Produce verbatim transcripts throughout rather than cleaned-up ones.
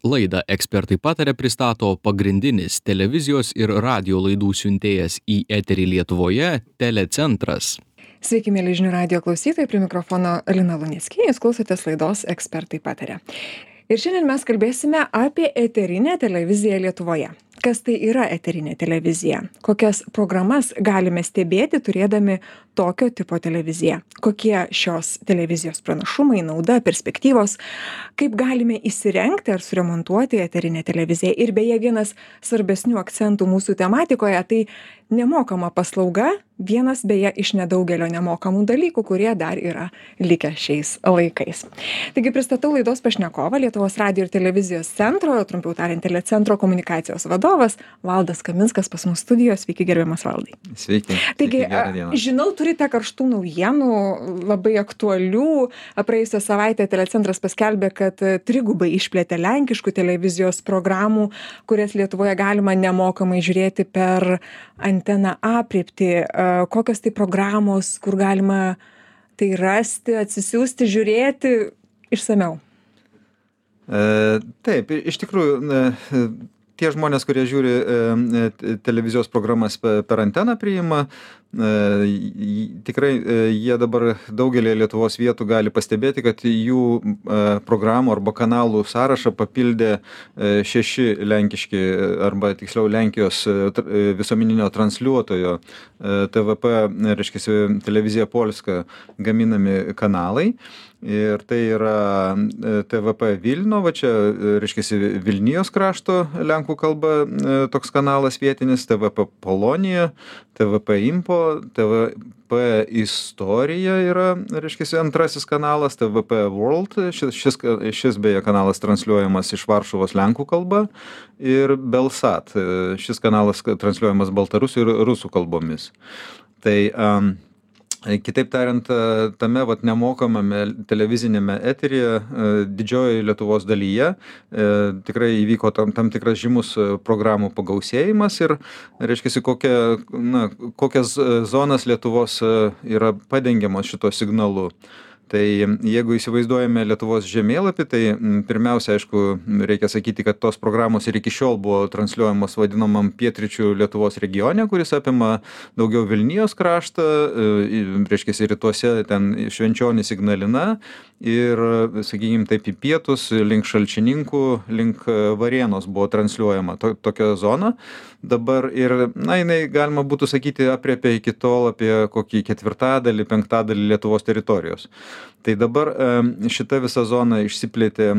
Laidą Ekspertai pataria pristato pagrindinis televizijos ir radio laidų siuntėjas į eterį Lietuvoje Telecentras. Sveiki, mėly žinių radijo klausytojai, prie mikrofono Lina Luneckienė, jūs klausotės laidos Ekspertai pataria. Ir šiandien mes kalbėsime apie eterinę televiziją Lietuvoje. Kas tai yra eterinė televizija? Kokias programas galime stebėti turėdami tokio tipo televiziją? Kokie šios televizijos pranašumai, nauda, perspektyvos? Kaip galime įsirengti ar suremontuoti eterinę televiziją? Ir beje, vienas svarbesnių akcentų mūsų tematikoje tai nemokama paslauga, vienas beje iš nedaugelio nemokamų dalykų, kurie dar yra likę šiais laikais. Taigi pristatau laidos pašnekovą, Lietuvos radijo ir televizijos centro, trumpiau tariant, Telecentro komunikacijos vadovas Valdas Kaminskas pas mus studijos. Sveiki, gerbiamas Valdai. Sveiki. Taigi, Sveiki, žinau, turite karštų naujienų, labai aktualių. Praėjusią savaitę Telecentras paskelbė, kad trigubai išplėtė lenkiškų televizijos programų, kurias Lietuvoje galima nemokamai žiūrėti per anteną aprėpti. Kokios tai programos, kur galima tai rasti, atsisiųsti, žiūrėti išsamiau? E, taip, iš tikrųjų, e, tie žmonės, kurie žiūri e, televizijos programas per anteną priima, e, tikrai e, jie dabar daugelį Lietuvos vietų gali pastebėti, kad jų e, programų arba kanalų sąrašą papildė e, šeši lenkiški arba tiksliau Lenkijos e, visuomeninio transliuotojo e, T V P, reiškia, televizija Polska gaminami kanalai. Ir tai yra T V P Vilno, va čia, reiškia, Vilnijos krašto lenkų kalba toks kanalas vietinis, T V P Polonija, T V P Info, T V P Istorija yra, reiškia, antrasis kanalas, T V P World, šis, šis, šis beje kanalas transliuojamas iš Varšuvos lenkų kalba, ir Belsat, šis kanalas transliuojamas baltarusių ir rusų kalbomis. Tai um, kitaip tariant, tame vat nemokamame televizinėme eteryje didžiojoje Lietuvos dalyje tikrai įvyko tam, tam tikras žymus programų pagausėjimas ir, reiškia, kokia, na, kokias zonas Lietuvos yra padengiamos šito signalu. Tai jeigu įsivaizduojame Lietuvos žemėlapį, tai pirmiausia, aišku, reikia sakyti, kad tos programos ir iki šiol buvo transliuojamos vadinamam pietryčių Lietuvos regione, kuris apima daugiau Vilnijos kraštą, reiškia, rytuose ten Švenčionys, Ignalina ir, sakykime, taip į pietus, link Šalčininkų, link Varėnos buvo transliuojama to, tokia zona. Dabar ir, na, jinai galima būtų sakyti aprėpė iki tol apie kokį ketvirtadalį, penktadalį Lietuvos teritorijos. Tai dabar šita visa zona išsiplėtė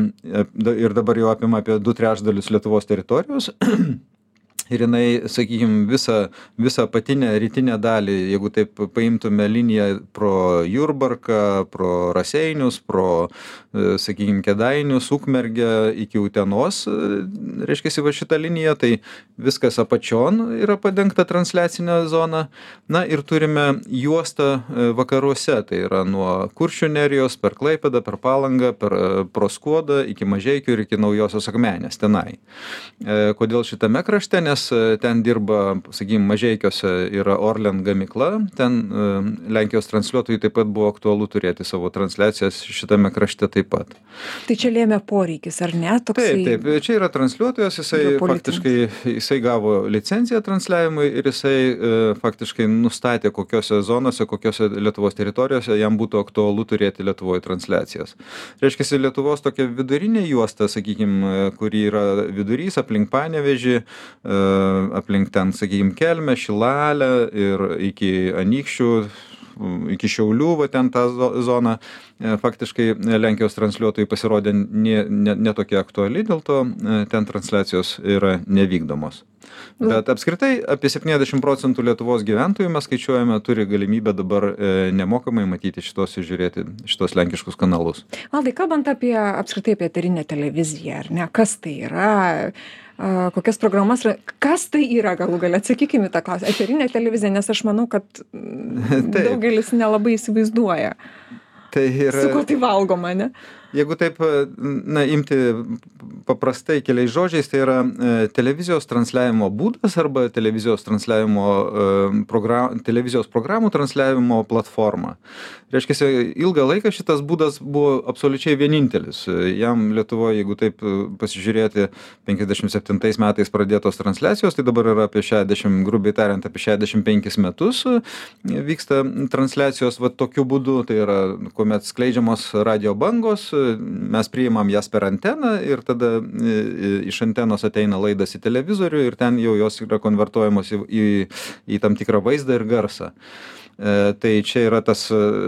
ir dabar jau apima apie du trečdalius Lietuvos teritorijos. Ir jinai, sakykime, visą, visą apatinę rytinę dalį, jeigu taip paimtume liniją pro Jurbarką, pro Raseinius, pro, sakykime, Kėdainius, Ukmergę iki Utenos, reiškia, va šitą liniją, tai viskas apačion yra padengta transliacinė zona. Na ir turime juostą vakaruose, tai yra nuo Kuršių nerijos per Klaipėdą, per Palangą, per pro Skuodą iki Mažeikių ir iki Naujosios Akmenės tenai. Kodėl šitame krašte? Nes ten dirba, sakykime, Mažeikiuose yra Orlen gamykla, ten Lenkijos transliuotojai taip pat buvo aktualu turėti savo transliacijas šitame krašte taip pat. Tai čia lėmė poreikis, ar ne? Toksai... Taip, taip, čia yra transliuotojas, jisai faktiškai, jisai gavo licenciją transliavimui ir jisai e, faktiškai nustatė, kokiose zonose, kokiose Lietuvos teritorijose jam būtų aktualu turėti Lietuvoje transliacijas. Reiškia, Lietuvos tokia vidurinė juosta, sakykime, kuri yra vidurys aplink Panevėžį, e, aplink ten, sakykime, Kelmę, Šilalę ir iki Anykščių, iki Šiaulių, va ten tą zoną, faktiškai Lenkijos transliuotojai pasirodė ne, ne, ne tokia aktuali, dėl to ten transliacijos yra nevykdomos. Bet apskritai apie septyniasdešimt procentų Lietuvos gyventojų mes skaičiuojame turi galimybę dabar nemokamai matyti šitos ir žiūrėti šitos lenkiškus kanalus. Valdai, kalbant apie apskritai apie eterinę televiziją, ar ne, kas tai yra, kokias programas, kas tai yra galų gale, atsakykime tą klausimą, eterinė televizija, nes aš manau, kad daugelis nelabai įsivaizduoja. Tai yra... Su kuo tai valgoma, ne? jeigu taip, na, imti paprastai keliais žodžiais, tai yra televizijos transliavimo būdas arba televizijos transliavimo program, televizijos programų transliavimo platforma. Reiškia, ilgą laiką šitas būdas buvo absoliučiai vienintelis. Jam Lietuvoje, jeigu taip pasižiūrėti, penkiasdešimt septintais metais pradėtos transliacijos, tai dabar yra apie šešiasdešimt, grubiai tariant, apie šešiasdešimt penkis metus vyksta transliacijos va tokiu būdu, tai yra, kuomet skleidžiamos radio bangos, mes priimam jas per anteną ir tada iš antenos ateina laidas į televizorių ir ten jau jos yra konvertuojamos į, į, į tam tikrą vaizdą ir garsą. Tai čia yra tas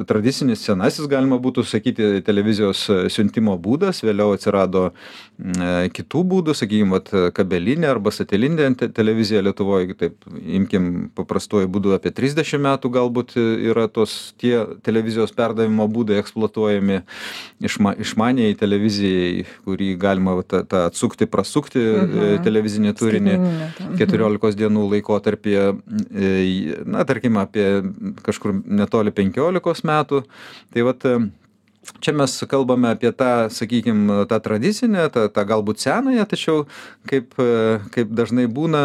tradicinis senasis, galima būtų sakyti, televizijos siuntimo būdas, vėliau atsirado kitų būdų, sakykime, kabelinė arba satelinė televizija Lietuvoje, taip imkim paprastuoju būdu apie trisdešimt metų galbūt yra tos tie televizijos perdavimo būdai eksploatuojami išma, išmaniai televizijai, kurį galima tą, tą atsukti, prasukti mhm. televizinį turinį keturiolikos dienų laikotarpyje, na, tarkim, apie kažkur netoli penkiolikos metų. Tai vat čia mes kalbame apie tą, sakykime, tą tradicinę, tą, tą galbūt senąją, tačiau kaip, kaip dažnai būna,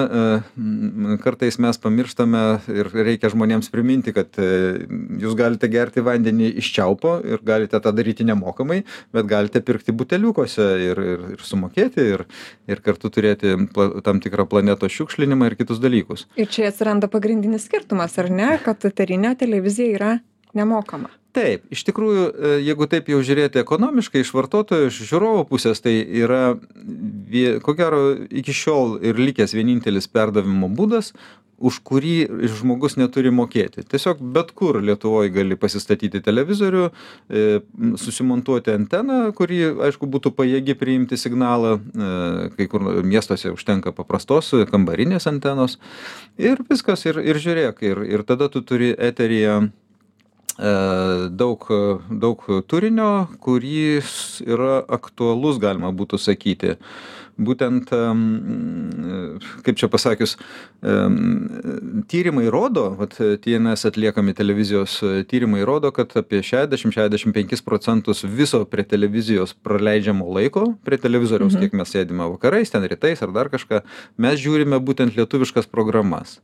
kartais mes pamirštame ir reikia žmonėms priminti, kad jūs galite gerti vandenį iš čiaupo ir galite tą daryti nemokamai, bet galite pirkti buteliukuose ir, ir, ir sumokėti ir, ir kartu turėti tam tikrą planetos šiukšlinimą ir kitus dalykus. Ir čia atsiranda pagrindinis skirtumas, ar ne, kad eterinė televizija yra nemokama. Taip, iš tikrųjų, jeigu taip jau žiūrėti ekonomiškai iš vartotojo, iš žiūrovo pusės, tai yra, ko gero, iki šiol ir likęs vienintelis perdavimo būdas, už kurį žmogus neturi mokėti. Tiesiog bet kur Lietuvoje gali pasistatyti televizorių, susimontuoti anteną, kuri, aišku, būtų pajėgi priimti signalą, kai kur miestuose užtenka paprastos kambarinės antenos ir viskas, ir, ir žiūrėk, ir, ir tada tu turi eteryje daug, daug turinio, kuris yra aktualus, galima būtų sakyti. Būtent, kaip čia pasakius, tyrimai rodo, vat T N S atliekami televizijos tyrimai rodo, kad apie šešiasdešimt iki šešiasdešimt penkis procentus viso prie televizijos praleidžiamo laiko, prie televizoriaus, mhm. kiek mes sėdime vakarais, ten rytais ar dar kažką, mes žiūrime būtent lietuviškas programas.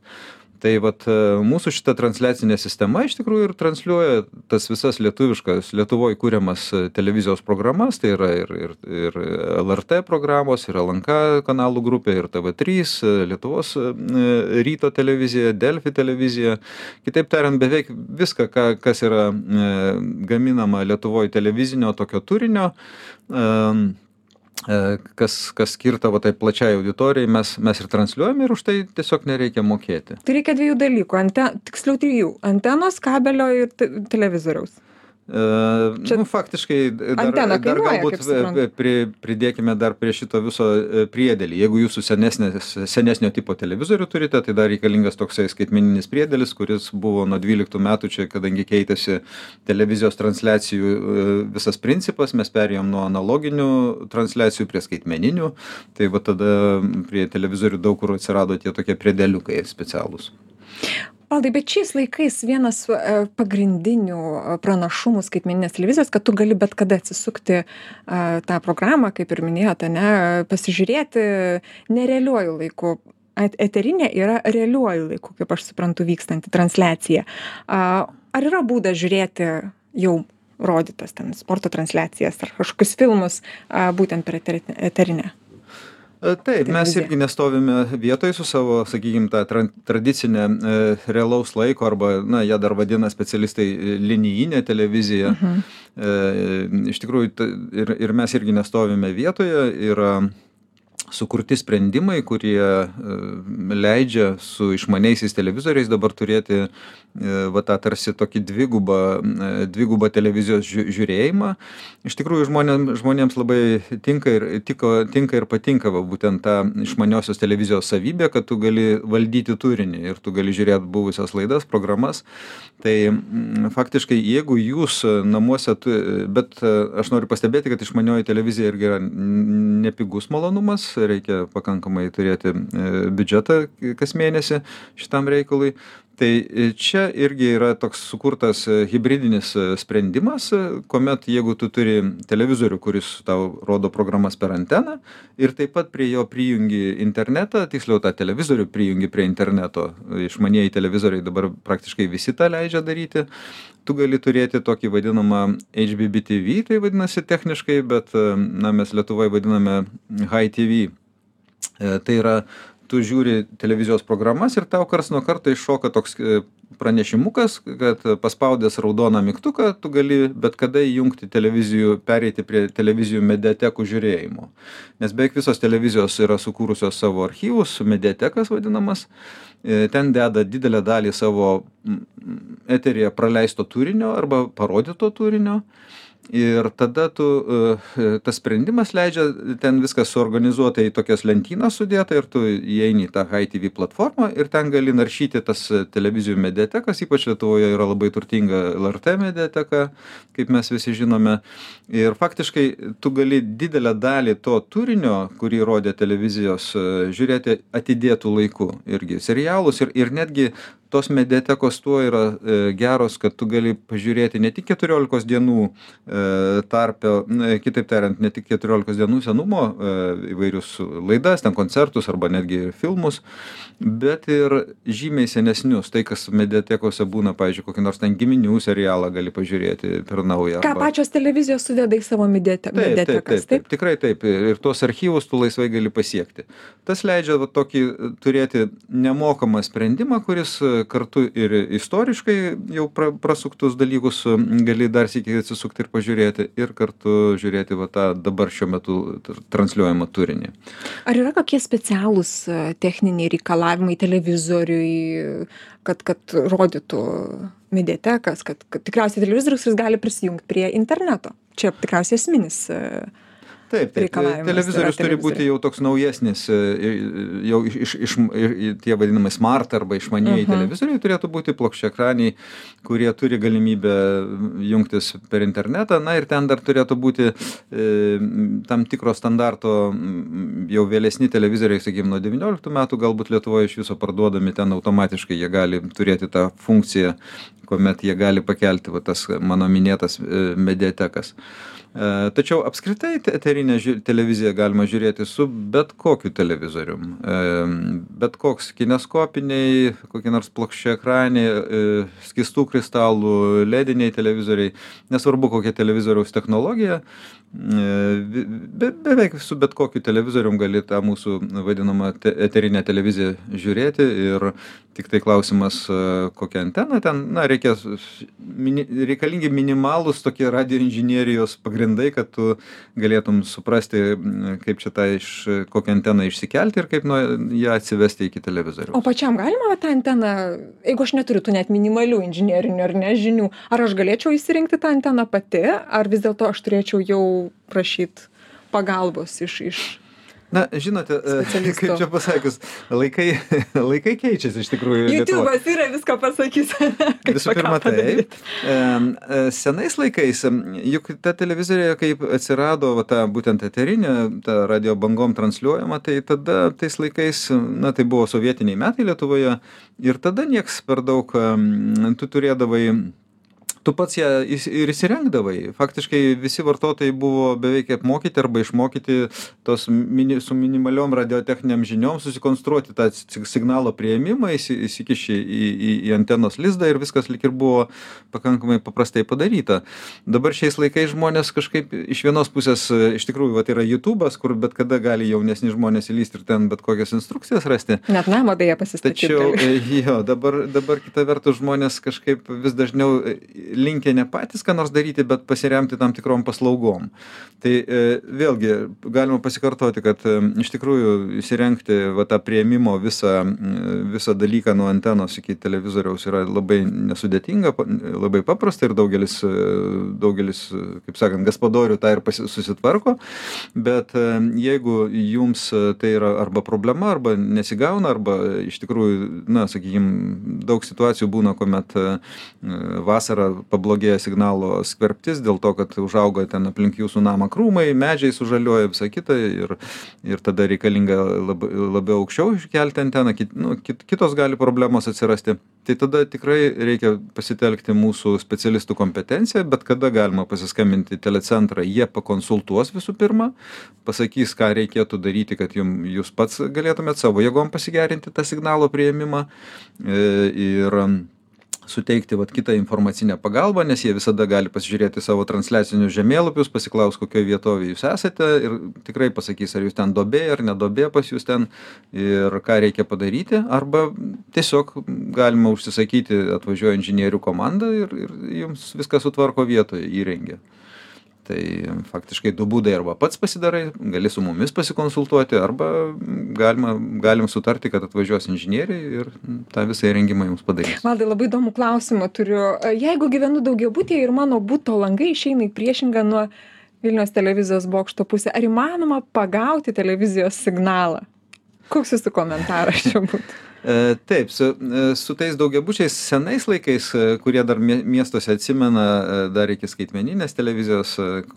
Tai vat mūsų šita transliacinė sistema iš tikrųjų ir transliuoja tas visas lietuviškas, Lietuvoje kūriamas televizijos programas, tai yra ir, ir, ir L R T programos, ir L N K kanalų grupė, ir T V trys, Lietuvos ryto televizija, Delfi televizija. Kitaip tariant, beveik viską, ką, kas yra gaminama Lietuvoje televizinio tokio turinio, kas, kas skirta va, tai plačiai auditorijai, mes, mes ir transliuojame ir už tai tiesiog nereikia mokėti. Tai reikia dviejų dalykų, ante, tiksliau trijų, antenos, kabelio ir te, televizoriaus. Čia, nu, faktiškai dar, dar galbūt pri, pridėkime dar prie šito viso priedėlį. Jeigu jūsų senesnio tipo televizorių turite, tai dar reikalingas toksai skaitmeninis priedėlis, kuris buvo nuo dvyliktų metų čia, kadangi keitėsi televizijos transliacijų visas principas, mes perėjom nuo analoginių transliacijų prie skaitmeninių, tai va tada prie televizorių daug kur atsirado tie tokie priedėliukai specialūs. Valdai, bet šiais laikais vienas pagrindinių pranašumų skaitmeninės televizijos, kad tu gali bet kada atsisukti tą programą, kaip ir minėjote, ne, pasižiūrėti nerealiuoju laiku. Eterinė yra realiuoju laiku, kaip aš suprantu, vykstanti transliacija. Ar yra būdas žiūrėti jau rodytas ten sporto transliacijas ar kažkokius filmus būtent per eterinę? Taip, mes irgi nestovime vietoje su savo, sakykime, tą tra tradicinę e, realaus laiko arba, na, ją dar vadina specialistai linijinė televizija. Uh-huh. e, iš tikrųjų, t, ir, ir mes irgi nestovime vietoje, yra sukurti sprendimai, kurie e, leidžia su išmaniaisiais televizoriais dabar turėti e, va tą tarsi tokį dvigubą, e, dvigubą televizijos žiū, žiūrėjimą. Iš tikrųjų, žmonėms, žmonėms labai tinka ir, tiko, tinka ir patinka va, būtent ta išmaniosios televizijos savybė, kad tu gali valdyti turinį ir tu gali žiūrėti buvusias laidas, programas. Tai m, faktiškai, jeigu jūs namuose, tu, bet aš noriu pastebėti, kad išmanioji televizija irgi yra nepigus malonumas, reikia pakankamai turėti biudžetą kas mėnesį šitam reikalui. Tai čia irgi yra toks sukurtas hibridinis sprendimas, kuomet jeigu tu turi televizorių, kuris tau rodo programas per anteną ir taip pat prie jo prijungi internetą, tiksliau tą televizorių prijungi prie interneto, išmanieji televizoriai dabar praktiškai visi tą leidžia daryti, tu gali turėti tokį vadinamą H B B T V, tai vadinasi techniškai, bet na, mes Lietuvoje vadiname Hi T V. Tai yra, tu žiūri televizijos programas ir tau karts nuo karto iššoka toks pranešimukas, kad paspaudęs raudoną mygtuką, tu gali bet kada įjungti televizijų, pereiti prie televizijų mediatekų žiūrėjimo. Nes beveik visos televizijos yra sukūrusios savo archyvus, mediatekas vadinamas, ten deda didelę dalį savo eteryje praleisto turinio arba parodyto turinio. Ir tada tu, tas sprendimas leidžia ten viskas suorganizuota į tokias lentynas sudėta ir tu įeini į tą Hi T V platformą ir ten gali naršyti tas televizijų mediatekas, ypač Lietuvoje yra labai turtinga L R T mediateka, kaip mes visi žinome. Ir faktiškai tu gali didelę dalį to turinio, kurį rodė televizijos, žiūrėti atidėtų laiku. Irgi serialus ir, ir netgi tos mediatekos tuo yra e, geros, kad tu gali pažiūrėti ne tik keturiolikos dienų e, tarpe, ne, kitaip tariant, ne tik keturiolikos dienų senumo e, įvairius laidas, ten koncertus arba netgi filmus, bet ir žymiai senesnius. Tai, kas mediatekose būna, pavyzdžiui, kokį nors ten giminių serialą gali pažiūrėti per naują. Ką arba... pačios televizijos sudeda į savo mediate- Taip, taip, mediatekas, taip, taip, tikrai taip. Ir tuos archyvus tu laisvai gali pasiekti. Tas leidžia va, tokį turėti nemokamą sprendimą, kuris kartu ir istoriškai jau pra, prasuktus dalykus gali dar sykį atsisukti ir pažiūrėti, ir kartu žiūrėti va, tą dabar šiuo metu transliuojamą turinį. Ar yra kokie specialūs techniniai reikalavimai televizoriui, kad, kad rodytų mediatekas, kad, kad tikriausiai televizorius jis gali prisijungti prie interneto? Čia tikriausiai esminis Taip, taip. Televizorius turi būti jau toks naujesnis, jau iš, iš, iš, tie vadinamai smart arba išmanieji uh-huh. televizoriai turėtų būti plokščiaekraniai, kurie turi galimybę jungtis per internetą. Na ir ten dar turėtų būti e, tam tikro standarto jau vėlesni televizoriai, sakykime, nuo devynioliktų metų, galbūt Lietuvoje iš viso parduodami, ten automatiškai jie gali turėti tą funkciją, kuomet jie gali pakelti va, tas mano minėtas e, mediatekas. Tačiau apskritai eterinę televiziją galima žiūrėti su bet kokiu televizorium. Bet koks kineskopiniai, kokie nors plokščiaekraniai, skystų kristalų, lediniai televizoriai, nesvarbu kokia televizoriaus technologija, be, beveik su bet kokiu televizorium gali tą mūsų vadinamą te, eterinę televiziją žiūrėti ir tik tai klausimas, kokią anteną ten, na, reikia, mini, reikalingi minimalūs tokie radioinžinierijos pagrindai, kad tu galėtum suprasti, kaip čia tą iš, kokią anteną išsikelti ir kaip nuo ją atsivesti iki televizoriaus. O pačiam galima tą anteną, jeigu aš neturiu tų net minimalių inžinierinių ar ne žinių, ar aš galėčiau įsirinkti tą anteną pati, ar vis dėlto aš turėčiau jau prašyti pagalbos iš, iš Na, žinote, kaip čia pasakius, laikai, laikai keičiasi iš tikrųjų. YouTube'as yra viską pasakys. Visų pirma, taip. Senais laikais, juk ta televizorė, kaip atsirado va, ta būtent eterinė, ta radio bangom transliuojama, tai tada tais laikais, na, tai buvo sovietiniai metai Lietuvoje ir tada nieks per daug, tu turėdavai tu pats ją ir įsirengdavai. Faktiškai visi vartotojai buvo beveik apmokyti arba išmokyti tos mini, su minimaliom radiotechniniam žiniom susikonstruoti tą signalo priėmimą, įsikiši į, į, į antenos lizdą ir viskas lyg ir buvo pakankamai paprastai padaryta. Dabar šiais laikais žmonės kažkaip iš vienos pusės, iš tikrųjų, va, tai yra YouTube'as, kur bet kada gali jaunesni žmonės įlysti ir ten bet kokias instrukcijas rasti. Net namą beje pasistatyti. Tačiau, jo, dabar, dabar kita vertus žmonės kažkaip vis dažniau linkę ne patys ką nors daryti, bet pasiremti tam tikrom paslaugom. Tai e, vėlgi galima pasikartoti, kad e, iš tikrųjų įsirengti va, tą priėmimo visą, visą dalyką nuo antenos iki televizoriaus yra labai nesudėtinga, labai paprasta ir daugelis, daugelis kaip sakant, gaspadorių tą ir pasi, susitvarko, bet e, jeigu jums tai yra arba problema, arba nesigauna, arba iš tikrųjų, na, sakykime, daug situacijų būna, kuomet e, vasarą pablogėja signalo skverbtis dėl to, kad užaugo ten aplink jūsų namą krūmai, medžiai sužaliuoja, visa kita ir, ir tada reikalinga lab, labiau aukščiau iškelti anteną, kit, nu, kit, kitos gali problemos atsirasti. Tai tada tikrai reikia pasitelkti mūsų specialistų kompetenciją, bet kada galima pasiskambinti į telecentrą, jie pakonsultuos visų pirma, pasakys, ką reikėtų daryti, kad jum, jūs pats galėtumėt savo jėgom pasigerinti tą signalo priėmimą ir suteikti vat, kitą informacinę pagalbą, nes jie visada gali pasižiūrėti savo transliacinius žemėlapius, pasiklaus, kokioje vietoje jūs esate ir tikrai pasakys, ar jūs ten duobė, ar nedobė pas jūs ten ir ką reikia padaryti, arba tiesiog galima užsisakyti, atvažiuoja inžinierių komanda ir, ir jums viską sutvarko vietoje, įrengia. Tai faktiškai du būdai, arba pats pasidarai, gali su mumis pasikonsultuoti, arba galima, galim sutarti, kad atvažiuos inžinieriai ir tą visą įrengimą jums padarys. Valdai, labai įdomų klausimą turiu. Jeigu gyvenu daugiabutyje ir mano buto langai išeina į priešingą nuo Vilniaus televizijos bokšto pusę, ar įmanoma pagauti televizijos signalą? Koks jūsų komentaras čia būtų? Taip, su, su tais daugiabučiais senais laikais, kurie dar miestuose atsimena dar iki skaitmeninės televizijos,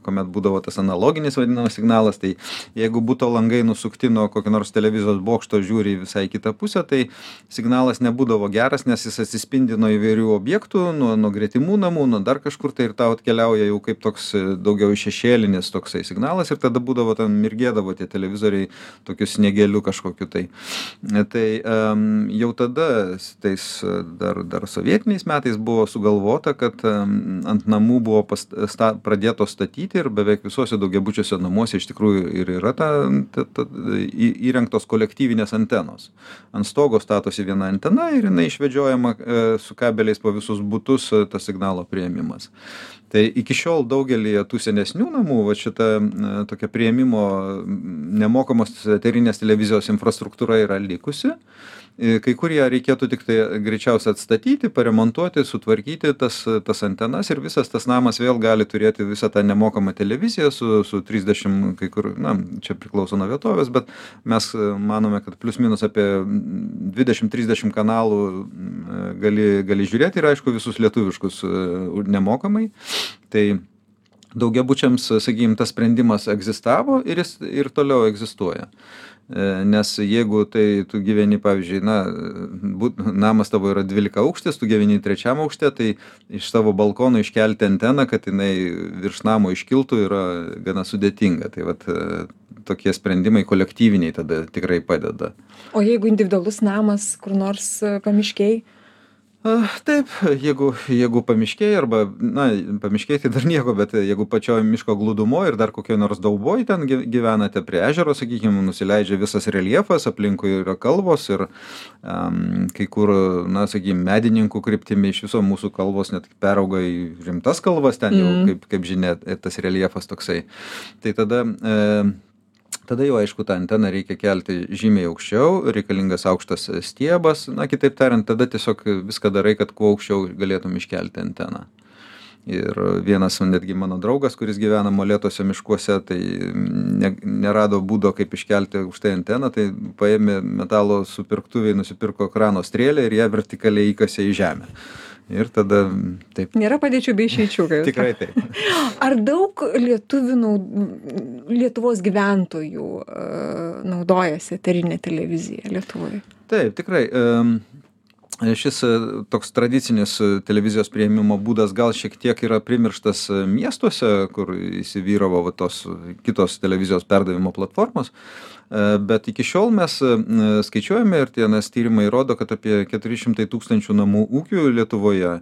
kuomet būdavo tas analoginis vadinamas signalas, tai jeigu buto langai nusukti nuo kokio nors televizijos bokšto žiūri į visai kitą pusę, tai signalas nebūdavo geras, nes jis atsispindi nuo įvairių objektų, nuo, nuo gretimų namų, nuo dar kažkur, tai ir tau atkeliauja jau kaip toks daugiau šešėlinis toksai signalas ir tada būdavo ten mirgėdavo tie televizoriai tokiu sniegeliu kažkokiu tai. Tai um, jau tada, tais dar, dar sovietiniais metais buvo sugalvota, kad ant namų buvo past, sta, pradėto statyti ir beveik visuose daugiabučiuose namuose iš tikrųjų ir yra ta, ta, ta, įrengtos kolektyvinės antenos. Ant stogo statosi viena antena ir jinai išvedžiojama su kabeliais po visus butus tas signalo priėmimas. Tai iki šiol daugelį tų senesnių namų, va šita tokia priėmimo nemokamos eterinės televizijos infrastruktūra yra likusi. Kai kurie reikėtų tik tai greičiausiai atstatyti, paremontuoti, sutvarkyti tas, tas antenas ir visas tas namas vėl gali turėti visą tą nemokamą televiziją su, su trisdešimt, kai kur, na, čia priklauso nuo vietovės, bet mes manome, kad plius minus apie dvidešimt trisdešimt kanalų gali, gali žiūrėti ir aišku visus lietuviškus nemokamai. Tai daugiabučiams, sakykime, tas sprendimas egzistavo ir jis ir toliau egzistuoja. Nes jeigu tai tu gyveni, pavyzdžiui, na, būt, namas tavo yra dvylika aukštis, tu gyveni trečiam aukšte, tai iš savo balkono iškelti anteną, kad jinai virš namo iškiltų, yra gana sudėtinga. Tai vat tokie sprendimai kolektyviniai tada tikrai padeda. O jeigu individualus namas kur nors pamiškėj? Taip, jeigu, jeigu pamiškėj arba, na, pamiškėj tai dar nieko, bet jeigu pačioje miško glūdumoje ir dar kokioje nors dauboj ten gyvenate prie ežero, sakykime, nusileidžia visas reljefas, aplinkui yra kalvos ir um, kai kur, na, sakykime, medininkų kryptimi iš viso mūsų kalvos net perauga į rimtas kalvas, ten jau, mm. kaip, kaip žinia, tas reljefas toksai. Tai tada... E, Tada jau, aišku, tą anteną reikia kelti žymiai aukščiau, reikalingas aukštas stiebas, na, kitaip tariant, tada tiesiog viską darai, kad kuo aukščiau galėtum iškelti anteną. Ir vienas netgi mano draugas, kuris gyvena molėtuose miškuose, tai ne, nerado būdo, kaip iškelti aukštai anteną, tai paėmė metalo supirktuviai, nusipirko krano strėlę ir ją vertikaliai įkasė į žemę. Ir tada taip. Nėra padėčių bei išeičių. Tikrai taip. Ar daug lietuvių, Lietuvos gyventojų naudojasi eterinė televizija Lietuvoje? Taip, tikrai. Šis toks tradicinis televizijos priėmimo būdas gal šiek tiek yra primirštas miestuose, kur įsivyravo va, tos kitos televizijos perdavimo platformos. Bet iki šiol mes skaičiuojame ir tie nes tyrimai rodo, kad apie keturi šimtai tūkstančių namų ūkių Lietuvoje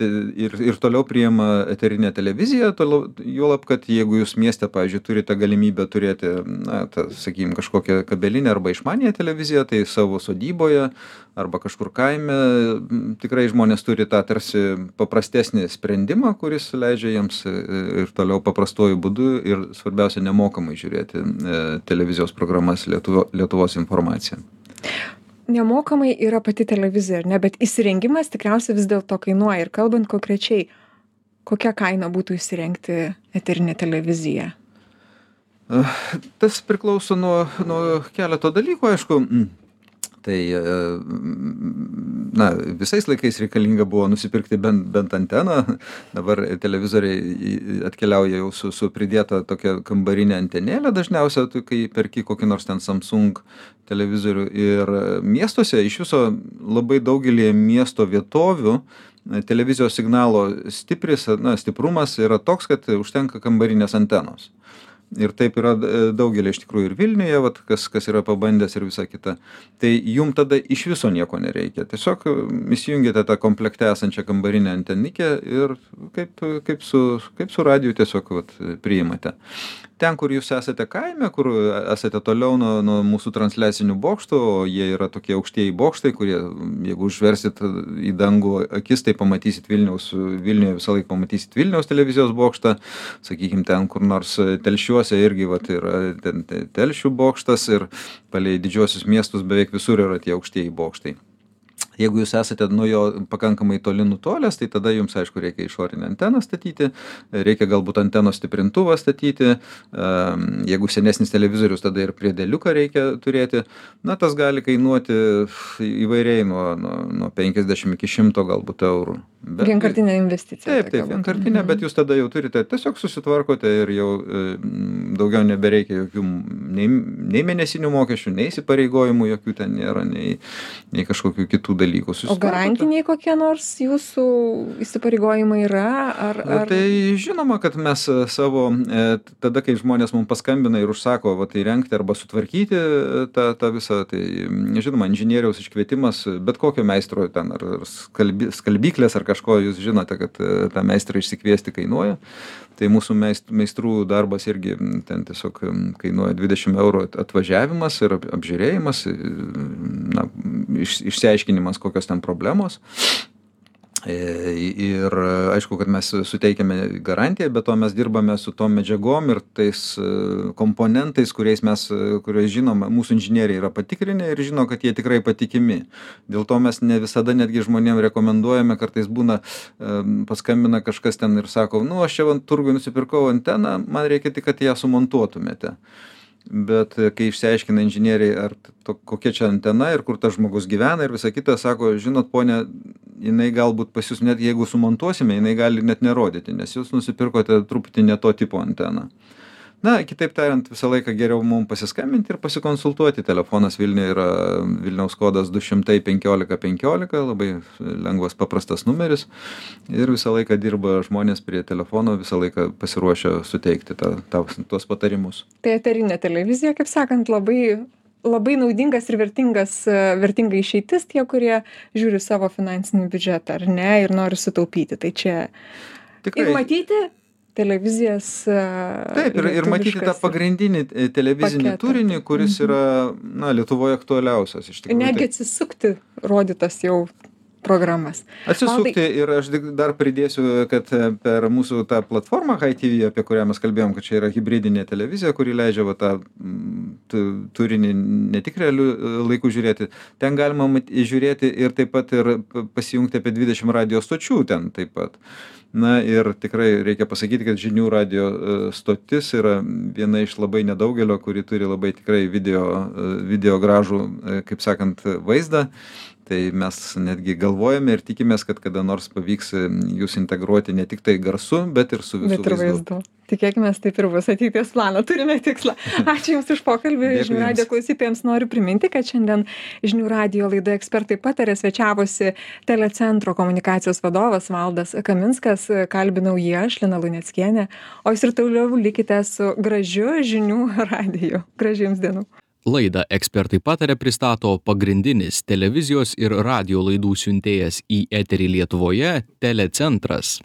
ir, ir toliau priima eterinę televiziją, toliau, juolab, kad jeigu jūs mieste, pavyzdžiui, turite galimybę turėti, na, ta, sakykime, kažkokią kabelinę arba išmaniąją televiziją, tai savo sodyboje arba kažkur kaime tikrai žmonės turi tą tarsi paprastesnį sprendimą, kuris leidžia jiems ir toliau paprastuoju būdu ir svarbiausia nemokamai žiūrėti televizijos programas Lietuvo, Lietuvos informaciją. Nemokamai yra pati televizija, ne, bet įsirengimas tikriausiai vis dėlto kainuoja. Ir kalbant konkrečiai, kokia kaina būtų įsirengti eterinę televiziją? Tas priklauso nuo, nuo keleto dalykų, aišku. Tai na, visais laikais reikalinga buvo nusipirkti bent, bent anteną. Dabar televizoriai atkeliauja jau su, su pridėta tokia kambarinė antenėlė dažniausia, kai perki kokį nors ten Samsung televizorių. Ir miestuose iš viso labai daugelį miesto vietovių televizijos signalo stipris, na, stiprumas yra toks, kad užtenka kambarinės antenos. Ir taip yra daugelį iš tikrųjų ir Vilniuje, vat, kas, kas yra pabandęs ir visa kita. Tai jum tada iš viso nieko nereikia. Tiesiog įsijungite tą komplekte esančią kambarinę antenikę ir kaip, kaip, su, kaip su radiju tiesiog vat, priimate. Ten, kur jūs esate kaime, kur esate toliau nuo, nuo mūsų transliacinių bokštų, o jie yra tokie aukštieji bokštai, kurie, jeigu užversit į dangų akis, tai pamatysit Vilniaus, Vilniuje visą laiką pamatysit Vilniaus televizijos bokštą, sakykim, ten kur nors Telšiuose irgi vat, yra ten Telšių bokštas ir palei didžiuosius miestus beveik visur yra tie aukštieji bokštai. Jeigu jūs esate nuo jo pakankamai toli nutolęs, tai tada jums, aišku, reikia išorinę anteną statyti, reikia galbūt antenos stiprintuvą statyti, jeigu senesnis televizorius, tada ir priedėliuką reikia turėti. Na, tas gali kainuoti įvairiai nuo, nuo, nuo penkiasdešimt iki šimto galbūt eurų. Bet, vienkartinė investicija. Taip, taip, vienkartinė, bet jūs tada jau turite, tiesiog susitvarkote ir jau e, daugiau nebereikia jokių nei, nei mėnesinių mokesčių, nei įsipareigojimų jokių ten nėra, nei, nei kažkokių kitų dalykų. O garantiniai kokie nors jūsų įsipareigojimai yra? Ar, ar... Tai žinoma, kad mes savo, e, tada, kai žmonės mums paskambina ir užsako, va, tai rengti arba sutvarkyti tą, tą visą, tai žinoma, inžinieriaus iškvietimas, bet kokio meistro ten, ar skalbi, skalbyklės, ar kažko jūs žinote, kad tą meistrą išsikviesti kainuoja. Tai mūsų meistrų darbas irgi ten tiesiog kainuoja dvidešimt eurų atvažiavimas ir apžiūrėjimas, na, iš, išsiaiškinimas, kokios ten problemos. Ir aišku, kad mes suteikiame garantiją, bet to mes dirbame su tom medžiagom ir tais komponentais, kuriais mes, kuriais žinome, mūsų inžinieriai yra patikrinę ir žino, kad jie tikrai patikimi. Dėl to mes ne visada netgi žmonėm rekomenduojame, kartais būna, paskambina kažkas ten ir sako, nu, aš čia ant turgui nusipirkau anteną, man reikia tik, kad ją sumontuotumėte. Bet kai išsiaiškina inžinieriai, ar to, kokia čia antena ir kur tas žmogus gyvena ir visa kita, sako, žinot, ponė, jinai galbūt pas jūs net jeigu sumontuosime, jinai gali net nerodyti, nes jūs nusipirkote truputį ne to tipo anteną. Na, kitaip tariant, visą laiką geriau mums pasiskambinti ir pasikonsultuoti. Telefonas Vilniuje yra Vilniaus kodas du šimtai penkiolika penkiolika, labai lengvas, paprastas numeris. Ir visą laiką dirba žmonės prie telefono, visą laiką pasiruošę suteikti tą, tą, tuos patarimus. Tai eterinė televizija, kaip sakant, labai, labai naudingas ir vertingas, vertinga išeitis tie, kurie žiūri savo finansinį biudžetą, ar ne, ir nori sutaupyti. Tai čia tikrai... Ir matyti televizijas. Taip, ir, ir matyti tą pagrindinį televizinį paketą. Turinį, kuris mhm. yra, na, Lietuvoje aktualiausias. Iš tikrųjų, negi tai... atsisukti rodytas jau programas. Atsisukti Valdai... ir aš dar pridėsiu, kad per mūsų tą platformą Hi T V, apie kurią mes kalbėjom, kad čia yra hibridinė televizija, kuri leidžia va, tą turinį ne tik realių laikų žiūrėti. Ten galima žiūrėti ir taip pat ir pasijungti apie dvidešimt radio stočių ten taip pat. Na ir tikrai reikia pasakyti, kad žinių radio stotis yra viena iš labai nedaugelio, kuri turi labai tikrai video, video gražų, kaip sakant, vaizdą. Tai mes netgi galvojame ir tikimės, kad kada nors pavyks jūs integruoti ne tik tai garsu, bet ir su visų bet ir vaizdu. Tikėkime, taip ir bus ateities planą. Turime tikslą. Ačiū Jums už pokalbį. Žinių radijo klausytojams noriu priminti, kad šiandien Žinių radijo laidoje Ekspertai pataria svečiavosi Telecentro komunikacijos vadovas Valdas Kaminskas. Kalbinau jį aš, Lina Luneckienė. O Jūs ir toliau likite su gražiu Žinių radiju. Gražių Jums dienų. Laidą Ekspertai pataria pristato pagrindinis televizijos ir radijo laidų siuntėjas į eterį Lietuvoje Telecentras.